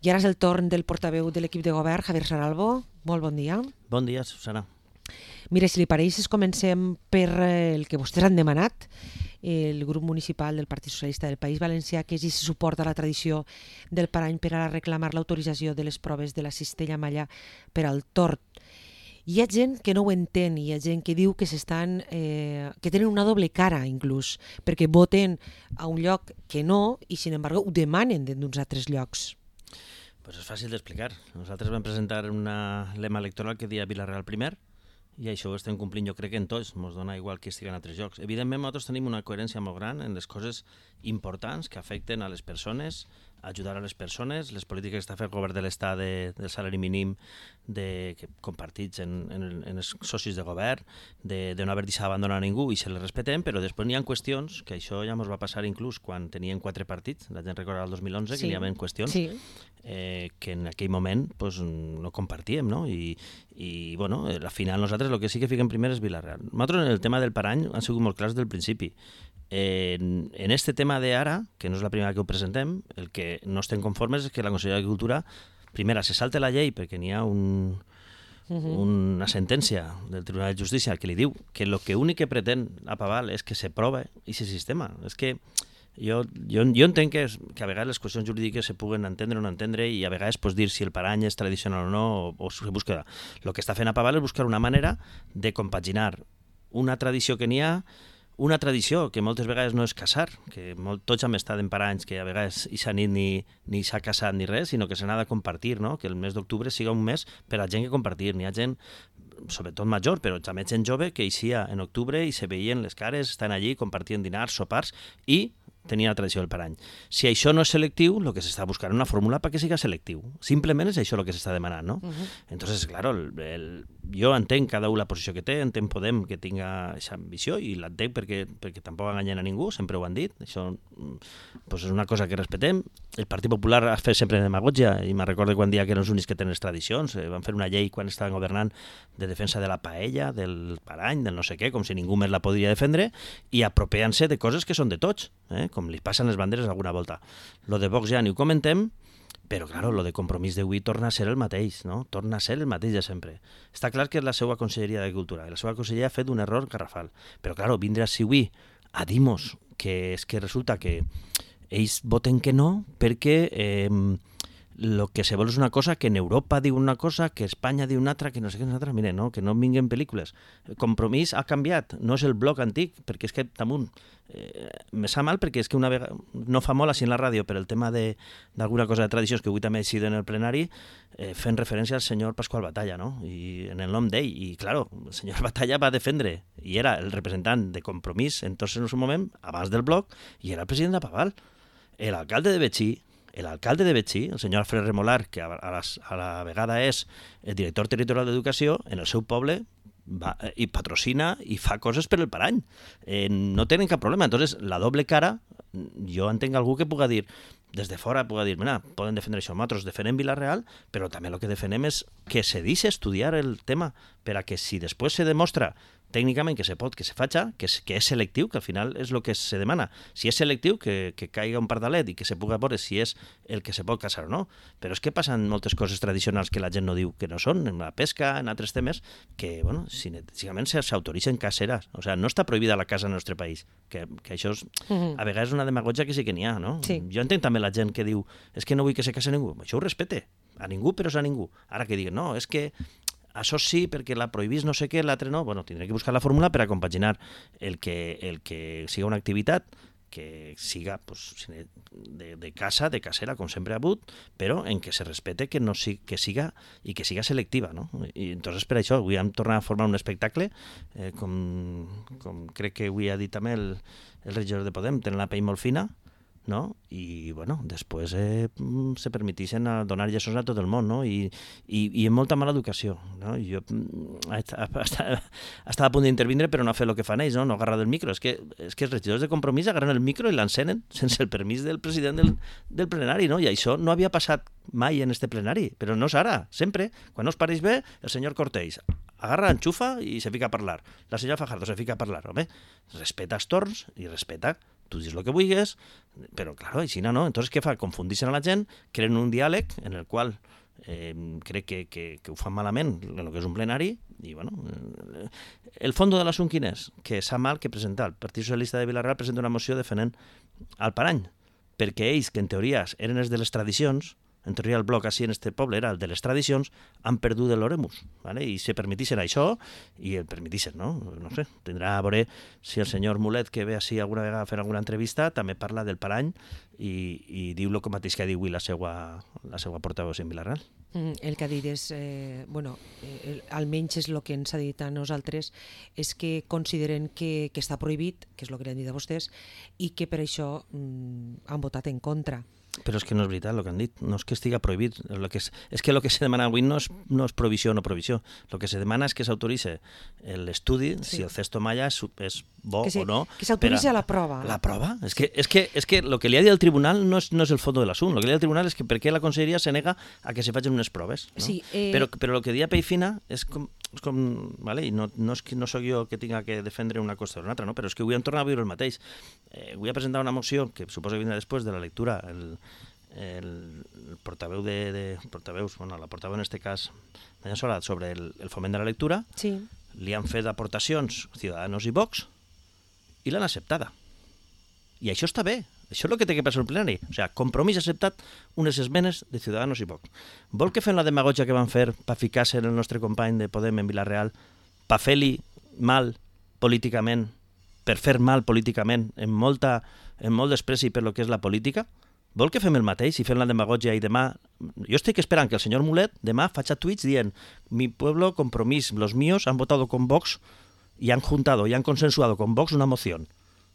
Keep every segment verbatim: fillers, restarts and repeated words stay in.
I ara és el torn del portaveu de l'equip de govern, Javier Saralbo. Molt bon dia. Bon dia, Susana. Mira, si li pareix, comencem per el que vostès han demanat, el grup municipal del Partit Socialista del País Valencià, que és i suporta la tradició del parany per a reclamar l'autorització de les proves de la cistella malla per al tord. Hi ha gent que no ho entén, hi ha gent que diu que s'estan, eh, que tenen una doble cara inclús, perquè voten a un lloc que no i, sin embargo, ho demanen d'uns altres llocs. Pues és fàcil d'explicar. Nosaltres vam presentar una lema electoral que deia Vila-real primer, i això ho estem complint, jo crec que en tots, ens dona igual que estiguen a altres llocs. Evidentment, nosaltres tenim una coherència molt gran en les coses importants que afecten a les persones, ajudar a les persones, les polítiques que està fent el govern de l'Estat de, del salari mínim de, que compartits en, en, en els socis de govern, de, de no haver deixat abandonar a ningú i se les respetem, però després n'hi ha qüestions, que això ja ens va passar inclús quan tenien quatre partits, la gent recorda el dos mil onze, sí, que n'hi havia qüestions sí. eh, que en aquell moment pues, no compartíem, no? I, i bueno, al final nosaltres el que sí que fiquem primer és Vila-real. Nosaltres en el tema del parany han sigut molt clars del principi. En, en este tema de ara, que no és la primera que ho presentem, el que no estem conformes és que la Conselleria d'Agricultura, primera, se salta la llei perquè n'hi ha un, uh-huh. una sentència del Tribunal de Justícia que li diu que el que únic que pretén a Paval és que se prove aquest sistema. És que jo, jo, jo entenc que, que a vegades les qüestions jurídiques se puguen entendre o no entendre i a vegades pues, dir si el parany és tradicional o no o, o se busca. El que està fent a Paval és buscar una manera de compaginar una tradició que n'hi ha, una tradició que moltes vegades no és casar, que molt, tots hem estat en paranys que a vegades i s'ha nit ni, ni s'ha casat ni res, sinó que se n'ha de compartir, no? Que el mes d'octubre siga un mes per a gent que compartir. N'hi ha gent, sobretot major, però també gent jove, que eixia en octubre i se veien les cares, estan allí, compartien dinars, sopars i tenia la tradició del parany. Si això no és selectiu, el que s'està buscant és una fórmula perquè siga selectiu. Simplement és això el que s'està demanant, no? Uh-huh. Entonces, claro, el, el, jo entenc cada un la posició que té, entenc Podem que tinga aquesta ambició i l'entenc perquè, perquè tampoc enganyen a ningú, sempre ho han dit, això pues, és una cosa que respetem. El Partit Popular ha fet sempre demagogia i me'n recordo quan dia que eren els únics que tenen les tradicions, eh, van fer una llei quan estaven governant de defensa de la paella, del parany, del no sé què, com si ningú més la podria defendre i apropiant-se de coses que són de tots, eh? Com li passen les banderes alguna volta. Lo de Vox ja ni ho comentem, però, claro, lo de Compromís d'avui torna a ser el mateix, no? Torna a ser el mateix de sempre. Està clar que és la seva Conselleria d'Agricultura, la seva Conselleria ha fet un error garrafal, però, claro, vindre a avui a dir-nos que és que resulta que ells voten que no perquè eh, lo que se vol és una cosa, que en Europa diu una cosa, que Espanya diu una altra, que no sé què és una altra. Mire, no, que no vinguen pel·lícules. El Compromís ha canviat, no és el bloc antic, perquè és que damunt eh, me sap mal perquè és que una vegada, no fa molt així en la ràdio, però el tema d'alguna cosa de tradicions que avui també ha sigut en el plenari, eh, fent referència al senyor Pasqual Batalla, no? I en el nom d'ell, i claro, el senyor Batalla va defendre, i era el representant de Compromís en tot el seu moment, abans del bloc, i era el president de Paval. L'alcalde de Betxí, l'alcalde de Betxí, el senyor Alfred Remolar, que a, a, les, a la vegada és el director territorial d'Educació, en el seu poble va, i patrocina i fa coses per el parany. Eh, no tenen cap problema. Entonces, la doble cara, jo entenc algú que puga dir, des de fora puga dir, mira, poden defendre això, nosaltres defenem Vila-real, però també el que defenem és que se deixi estudiar el tema, per a que si després se demostra tècnicament que se pot, que se faci, que és, que és selectiu, que al final és el que se demana. Si és selectiu, que, que caiga un pardalet i que se pugui veure si és el que se pot casar o no. Però és que passen moltes coses tradicionals que la gent no diu que no són, en la pesca, en altres temes, que, bueno, senzillament s'autoritzen caseres. O sigui, no està prohibida la casa en el nostre país, que, que això és, a vegades és una demagogia que sí que n'hi ha, no? Sí. Jo entenc també la gent que diu, és que no vull que se case ningú. Això ho respecte, a ningú, però és a ningú. Ara que diguen, no, és que això sí, perquè la prohibís no sé què, l'altre no, bueno, tindré que buscar la fórmula per a compaginar el que, el que siga una activitat que siga pues, de, de casa, de casera, com sempre ha hagut, però en què se respecte que, no si, que siga i que siga selectiva, no? I entonces per això avui hem tornat a formar un espectacle, eh, com, com crec que avui ha dit també el, el regidor de Podem, tenen la pell molt fina, no? I bueno, després eh, se permeteixen a donar lliçons a tot el món, no? I, i, i amb molta mala educació, no? Jo estava a punt d'intervindre però no ha fet el que fan ells, no? No agarrar del micro, és que, és que els regidors de Compromís agarren el micro i l'encenen sense el permís del president del, del plenari, no? I això no havia passat mai en este plenari, però no és ara, sempre, quan no us pareix bé, el senyor Cortés agarra, enxufa i se fica a parlar, la senyora Fajardo se fica a parlar, home, respeta els torns i respeta tu dius el que vulguis, però, clar, així no, no. Entonces, què fa? Confundixen a la gent, creen un diàleg en el qual eh, crec que, que, que ho fan malament en el que és un plenari, i, bueno, eh, el fons de l'assumpte quin és? Que s'ha mal que presentar. El Partit Socialista de Vila-real presenta una moció defendent al Parany, perquè ells, que en teoria eren els de les tradicions, en teoria el bloc així en este poble era el de les tradicions, han perdut l'oremus, ¿vale? I se permetixen això, i el permetixen, no? No sé, tindrà a veure si el senyor Mulet, que ve així alguna vegada a fer alguna entrevista, també parla del Parany i, i diu el mateix que diu la seva, la seva portaveu en Vila-real. Mm, el que ha dit és, eh, bueno, eh, almenys és el que ens ha dit a nosaltres, és que consideren que, que està prohibit, que és el que li han dit a vostès, i que per això mm, han votat en contra. Però és que no és veritat el que han dit, no és que estiga prohibit, el que és, és que el que se demana avui no és, no és provisió o no provisió, el que se demana és que s'autoritzi l'estudi, sí. Si el Cesto Malla és, és bo que se, o no. Que s'autoritzi a la prova. La prova? És que, és que, és que el que li ha dit el tribunal no és, no és el fons de l'assumpte, el que li ha dit el tribunal és que per què la conselleria se nega a que se facin unes proves. No? Sí, eh... però, però el que dia Peifina és com, és com vale? I no, no, és que, no soc jo que tinga que defendre una cosa o una altra, no? Però és que avui hem tornat a viure el mateix. Eh, avui ha presentat una moció que suposo que vindrà després de la lectura el, el, el portaveu de, de portaveus, bueno, la portaveu en este cas d'Anya Solat, sobre el, el foment de la lectura, sí. Li han fet aportacions Ciudadanos i Vox i l'han acceptada. I això està bé, això és el que té que passar el plenari. O sigui, Compromís ha acceptat unes esmenes de Ciudadanos i Vox. Vol que fem la demagogia que van fer per ficar-se en el nostre company de Podem en Vila-real, per fer-li mal políticament, per fer mal políticament, en, molta, en molt despreci per lo que és la política? Vol que fem el mateix i fem la demagogia i demà... Jo estic esperant que el senyor Mulet demà faci tuits dient mi pueblo, Compromís, los míos han votado con Vox y han juntado y han consensuado con Vox una moción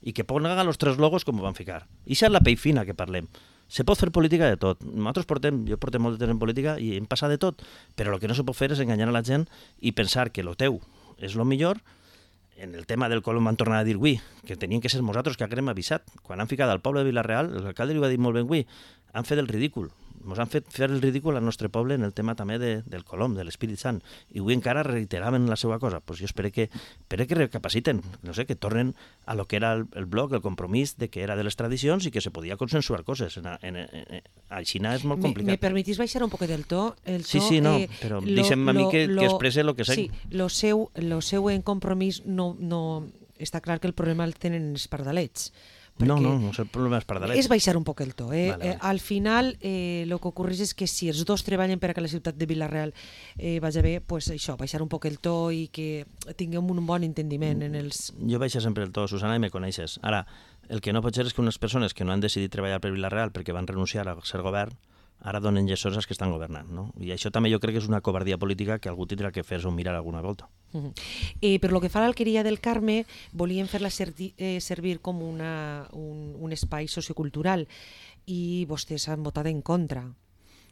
y que pongan los tres logos com van ficar. I això és la pell fina que parlem. Se pot fer política de tot. Nosaltres portem, jo portem molt de temps en política i hem passat de tot, però el que no se pot fer és enganyar a la gent i pensar que lo teu és lo millor. En el tema del Colom van tornar a dir avui que tenien que ser nosaltres que haguem avisat. Quan han ficat al poble de Vila-real, l'alcalde li va dir molt ben avui, han fet el ridícul. Ens han fet fer el ridícul al nostre poble en el tema també de, del Colom, de l'Espírit Sant. I avui encara reiteraven la seva cosa. Pues jo espero que, espero que recapaciten, no sé, que tornen a lo que era el, el bloc, el compromís de que era de les tradicions i que se podia consensuar coses. En, en, en, a Xina és molt complicat. Me, me permetís baixar un poquet del to? El to sí, sí, no, eh, però deixem a mi que, lo, que expresse el que sé. Sí, lo seu, lo seu en compromís no, no... Està clar que el problema el tenen els pardalets. No, no, no és el problema dels pardalets. És baixar un poc el to. Eh? Vale, vale. Eh, al final, eh, el que ocorreix és que si els dos treballen per a que la ciutat de Vila-real eh, vagi bé, pues això, baixar un poc el to i que tinguem un bon entendiment en els... Jo baixo sempre el to, Susana, i me coneixes. Ara, el que no pot ser és que unes persones que no han decidit treballar per Vila-real perquè van renunciar a ser govern, ara donen lliçons als que estan governant, no? I això també jo crec que és una covardia política que algú tindrà que fer-se un mirar alguna volta. Uh -huh. eh, per lo que fa a l'Alqueria del Carme, volien fer-la servi eh, servir com una, un, un espai sociocultural i vostès han votat en contra.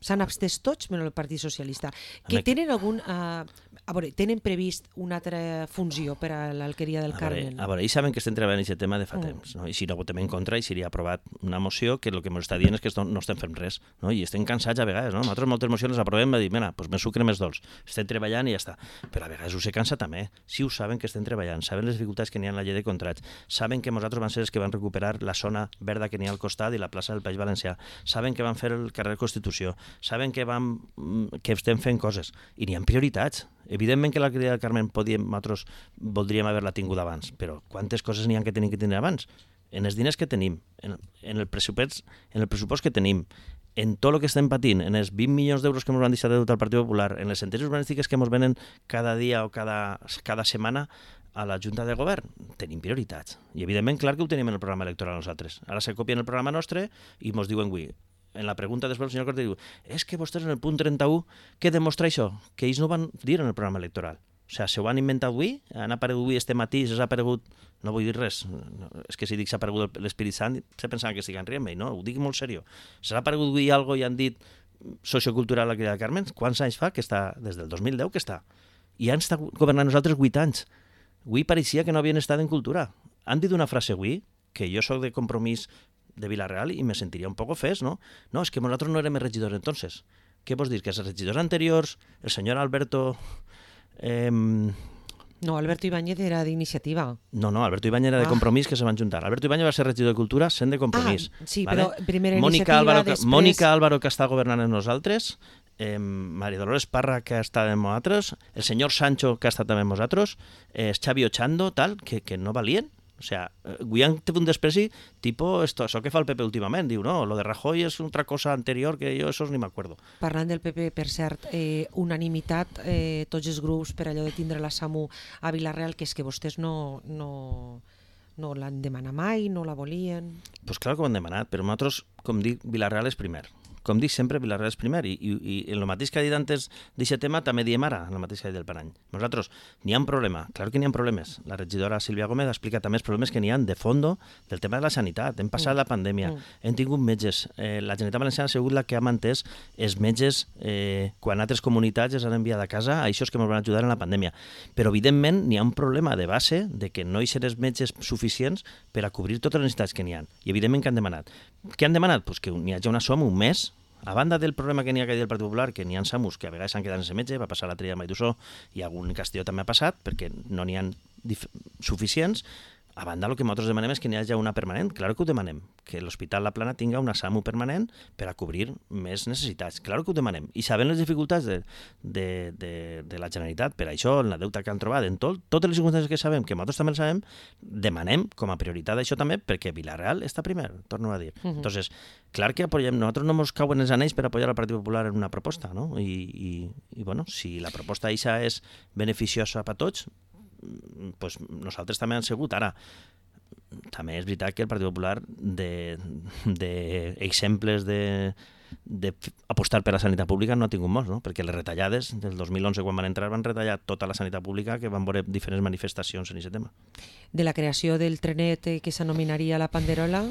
S'han abstès tots menys el Partit Socialista. Que tenen algun... Uh, a veure, tenen previst una altra funció per a l'Alqueria del Carme? A veure, ells saben que estem treballant aquest tema de fa mm. temps, no? I si no votem en contra i seria aprovat una moció que el que ens està dient és que no estem fent res, no? I estem cansats a vegades, no? Nosaltres moltes mocions les aprovem i dir, mira, doncs més sucre, més dolç. Estem treballant i ja està. Però a vegades ho se cansa també. Si ho saben que estem treballant, saben les dificultats que n'hi ha en la llei de contrats, saben que nosaltres van ser els que van recuperar la zona verda que n'hi ha al costat i la plaça del País Valencià, saben que van fer el carrer Constitució, saben que vam, que estem fent coses i n'hi ha prioritats. Evidentment que l'Alqueria del Carme podíem, nosaltres voldríem haver-la tingut abans, però quantes coses n'hi ha que tenim que tenir abans? En els diners que tenim, en, en, el pressupost, en el pressupost que tenim, en tot el que estem patint, en els vint milions d'euros que ens van deixar de deute al Partit Popular, en les sentències urbanístiques que ens venen cada dia o cada, cada setmana a la Junta de Govern, tenim prioritats. I evidentment, clar que ho tenim en el programa electoral nosaltres. Ara se copien el programa nostre i ens diuen avui, en la pregunta després el senyor Cortés diu és que vostès en el punt trenta-u, què demostra això? Que ells no van dir en el programa electoral. O sigui, se ho han inventat avui, han aparegut avui este matí, s'ha aparegut, no vull dir res, no, és que si dic s'ha aparegut l'Espírit Sant, se pensava que estiguen rient, no, ho dic molt seriós. S'ha aparegut avui alguna cosa i han dit sociocultural a l'Alqueria del Carme, quants anys fa que està? Des del dos mil deu que està. I han estat governant nosaltres vuit anys. Avui pareixia que no havien estat en cultura. Han dit una frase avui, que jo soc de Compromís de Vila-real i me sentiria un poc ofès, no? No, és que nosaltres no érem regidors entonces. Què vols dir? Que els regidors anteriors, el senyor Alberto, eh, No, Alberto Ibáñez era d'iniciativa. No, no, Alberto Ibáñez era de Compromís, que se van juntar. Alberto Ibáñez va ser regidor de Cultura sent de Compromís. Ah, sí, vale? però primera Mònica iniciativa, Álvaro, després... Mònica Álvaro, que està governant amb nosaltres, eh, Maria Dolores Parra, que ha estat amb nosaltres, el senyor Sancho, que ha estat també amb nosaltres, eh, Xavi Ochando, tal, que, que no valien. O sea, Guillán té un despreci tipo esto, això que fa el P P últimament, diu, no, lo de Rajoy és otra cosa anterior que jo esos ni m'acuerdo. Parlant del P P, per cert, eh, unanimitat, eh, tots els grups per allò de tindre la SAMU a Vila-real, que és que vostès no, no, no l'han demanat mai, no la volien... Doncs pues clar que ho han demanat, però nosaltres, com dic, Vila-real és primer. Com dic sempre, Vila-real és primer, i, i, i el mateix que ha dit antes d'aquest tema també diem ara, el mateix que ha dit del Parany. Nosaltres, n'hi ha un problema, clar que n'hi ha problemes. La regidora Sílvia Gómez explica també els problemes que n'hi ha de fondo del tema de la sanitat. Hem passat mm. la pandèmia, mm. hem tingut metges. Eh, la Generalitat Valenciana ha sigut la que ha mantès els metges eh, quan altres comunitats els han enviat a casa, a això que ens van ajudar en la pandèmia. Però, evidentment, n'hi ha un problema de base de que no hi seran metges suficients per a cobrir totes les necessitats que n'hi ha. I, evidentment, que han demanat. Què han demanat? Pues que n'hi hagi una SOM un mes. A banda del problema que n'hi ha que dir el Partit Popular, que n'hi ha SAMUs que a vegades s'han quedat sense metge, va passar la tria de Maidusó i algun Castelló també ha passat, perquè no n'hi ha suficients. A banda, el que nosaltres demanem és que n'hi hagi una permanent. Clar que ho demanem, que l'Hospital La Plana tinga una SAMU permanent per a cobrir més necessitats. Clar que ho demanem. I sabent les dificultats de, de, de, de la Generalitat, per això, en la deuta que han trobat, en tot, totes les circumstàncies que sabem, que nosaltres també les sabem, demanem com a prioritat això també, perquè Vila-real està primer, torno a dir. Uh-huh. Entonces, clar que apoyem, nosaltres no ens cauen els anells per apoyar al Partit Popular en una proposta, no? I, i, i bueno, si la proposta eixa és beneficiosa per tots, pues nosaltres també hem sigut. Ara, també és veritat que el Partit Popular d'exemples de, de, de apostar per la sanitat pública no ha tingut molts, no? Perquè les retallades del dos mil onze, quan van entrar, van retallar tota la sanitat pública, que van veure diferents manifestacions en aquest tema. De la creació del trenet que s'anomenaria la Panderola...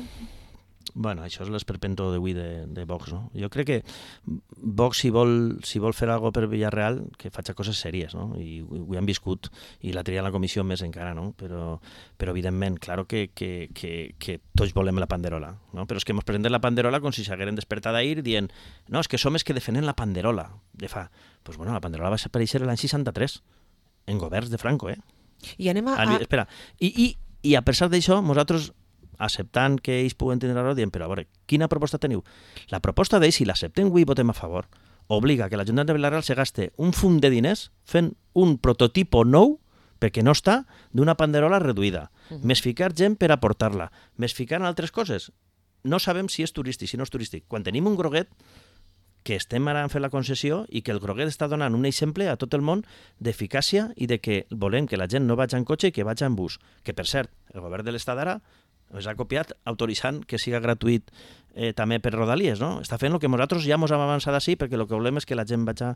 Bueno, això és l'esperpento d'avui de, de Vox, no? Jo crec que Vox, si vol, si vol fer alguna cosa per Villarreal, que faci coses sèries, no? I ho, ho hem viscut, i la tria en la comissió més encara, no? Però, però evidentment, claro que, que, que, que tots volem la Panderola, no? Però és que ens presenten la Panderola com si s'hagueren despertat ahir dient, no, és que som els que defenen la Panderola. De fa, pues bueno, la Panderola va aparèixer l'any seixanta-tres, en governs de Franco, eh? I anem a... a... Espera, i, i, i a pesar d'això, nosaltres... acceptant que ells puguen tenir raó, dient, però a veure, quina proposta teniu? La proposta d'ells, si l'acceptem avui i votem a favor, obliga que l'Ajuntament de Vila-real se gaste un fum de diners fent un prototipo nou, perquè no està, d'una panderola reduïda. Uh-huh. Més ficar gent per aportar-la. Més ficar en altres coses. No sabem si és turístic, si no és turístic. Quan tenim un groguet, que estem ara fent la concessió i que el groguet està donant un exemple a tot el món d'eficàcia i de que volem que la gent no vagi en cotxe i que vagi en bus. Que, per cert, el govern de l'Estat ara ens ha copiat autoritzant que siga gratuït eh, també per Rodalies, no? Està fent el que nosaltres ja ens hem avançat així, perquè el que volem és que la gent vagi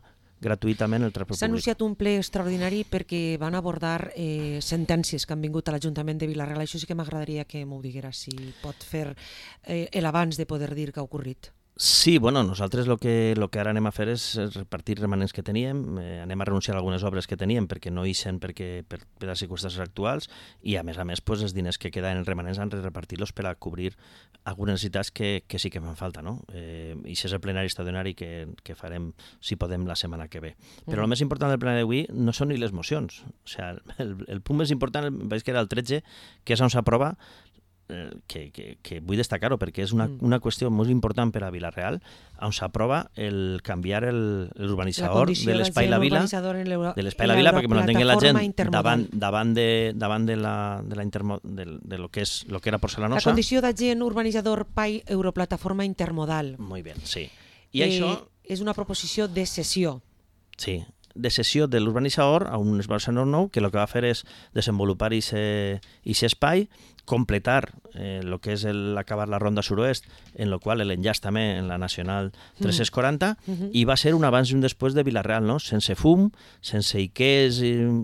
gratuïtament el transport públic. S'ha anunciat un ple extraordinari perquè van abordar eh, sentències que han vingut a l'Ajuntament de Vila-real. Això sí que m'agradaria que m'ho diguera, si pot fer eh, l'abans de poder dir que ha ocorrit. Sí, bueno, nosaltres el que, lo que ara anem a fer és repartir remanents que teníem, eh, anem a renunciar a algunes obres que teníem perquè no hi sent perquè, per, per les circumstàncies actuals i a més a més pues, els diners que queden en remanents han de repartir-los per a cobrir algunes necessitats que, que sí que fan falta, no? Eh, I això és el plenari extraordinari que, que farem, si podem, la setmana que ve. Però mm. el més important del plenari d'avui no són ni les mocions. O sigui, el, el punt més important veig que era el tretze, que és on s'aprova Que, que, que vull destacar-ho perquè és una, una qüestió molt important per a Vila-real, on s'aprova el canviar l'urbanitzador de l'Espai La Vila, de l'Espai La Vila, perquè me l'entengui la gent davant, davant, de, davant de, la, de, la intermo, de, de lo, que és, lo que era Porcelanosa. La condició d'agent urbanitzador P A I Europlataforma Intermodal. Molt bé, sí. I eh, això... És una proposició de cessió. Sí, de cessió de l'urbanitzador a un esbarçador nou que el que va fer és desenvolupar aquest espai, completar eh, el que és el, acabar la ronda suroest, en el qual l'enllaç també en la Nacional tres-cents quaranta, mm-hmm. i va ser un abans i un després de Vila-real, no? Sense fum, sense iquers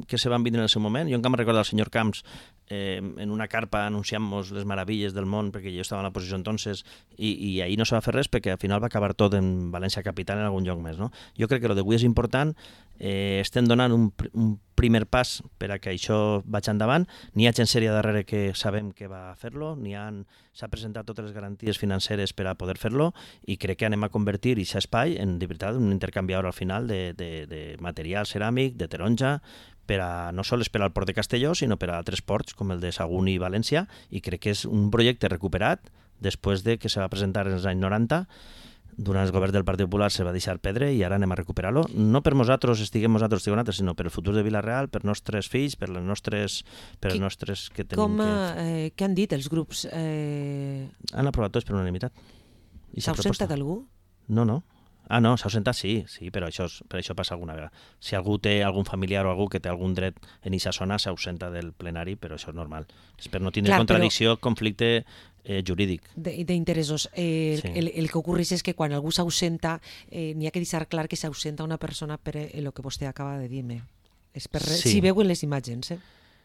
que se van vindre en el seu moment. Jo encara me'n recordo el senyor Camps eh, en una carpa anunciant-nos les meravilles del món, perquè jo estava en la posició entonces, i, i ahir no se va fer res perquè al final va acabar tot en València capital en algun lloc més, no? Jo crec que el d'avui és important, eh, estem donant un, un primer pas per a que això vagi endavant. N'hi ha gent sèria darrere que sabem que va fer-lo, n'hi ha, s'ha presentat totes les garanties financeres per a poder fer-lo i crec que anem a convertir aquest espai en de veritat un intercanviador al final de, de, de material ceràmic, de taronja, per a, no sols per al port de Castelló, sinó per a altres ports com el de Sagunt i València, i crec que és un projecte recuperat després de que se va presentar en els anys noranta. Durant el govern del Partit Popular se va deixar perdre i ara anem a recuperar-lo. No per nosaltres estiguem nosaltres, estiguem nosaltres, sinó per el futur de Vila-real, per nostres fills, per les nostres, per els nostres que tenim. Com, que... eh, què han dit els grups? Eh... Han aprovat tots per unanimitat. S'ha ausentat algú? No, no. Ah, no, s'ha ausentat, sí, sí, però això, per això passa alguna vegada. Si algú té algun familiar o algú que té algun dret en aquesta zona, s'ausenta del plenari, però això és normal. És per no tindre Clar, contradicció, però... conflicte eh, jurídic. D'interessos. Eh, sí. el, el que ocorreix és que quan algú s'ausenta, eh, n'hi ha que deixar clar que s'ausenta una persona per el que vostè acaba de dir-me. És per... sí. Si veuen les imatges, eh?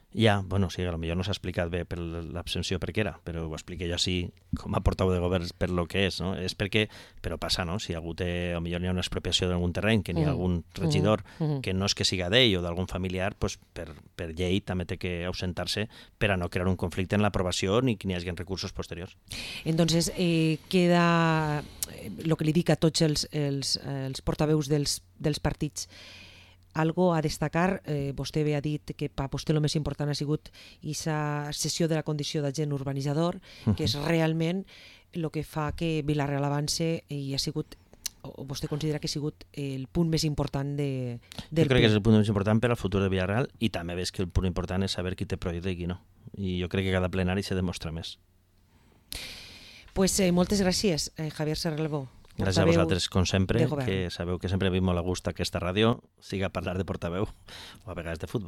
Ja, bueno, sí, potser no s'ha explicat bé per l'abstenció per què era, però ho expliqué jo així com a portaveu de govern per lo que és, no? És perquè, però passa, no? Si algú té, potser hi ha una expropiació d'algun terreny, que n'hi ha algun regidor mm. que no és que siga d'ell o d'algun familiar, pues per, per llei també té que ausentar-se per a no crear un conflicte en l'aprovació ni que n'hi hagi recursos posteriors. Entonces, eh, queda el que li dic a tots els, els, els portaveus dels, dels partits. Algo a destacar, eh, vostè bé ha dit que per vostè el més important ha sigut aquesta cessió de la condició d'agent urbanitzador, que és realment el que fa que Vila-real avance i ha sigut, o vostè considera que ha sigut el punt més important de, del Jo crec que és el punt més important per al futur de Vila-real i també ves que el punt important és saber qui té projecte i qui no. I jo crec que cada plenari se demostra més. Pues eh, moltes gràcies, eh, Javier Serralbó. Gràcies a vosaltres, com sempre, que sabeu que sempre vim molt a gust aquesta ràdio, siga parlar de portaveu o a vegades de futbol.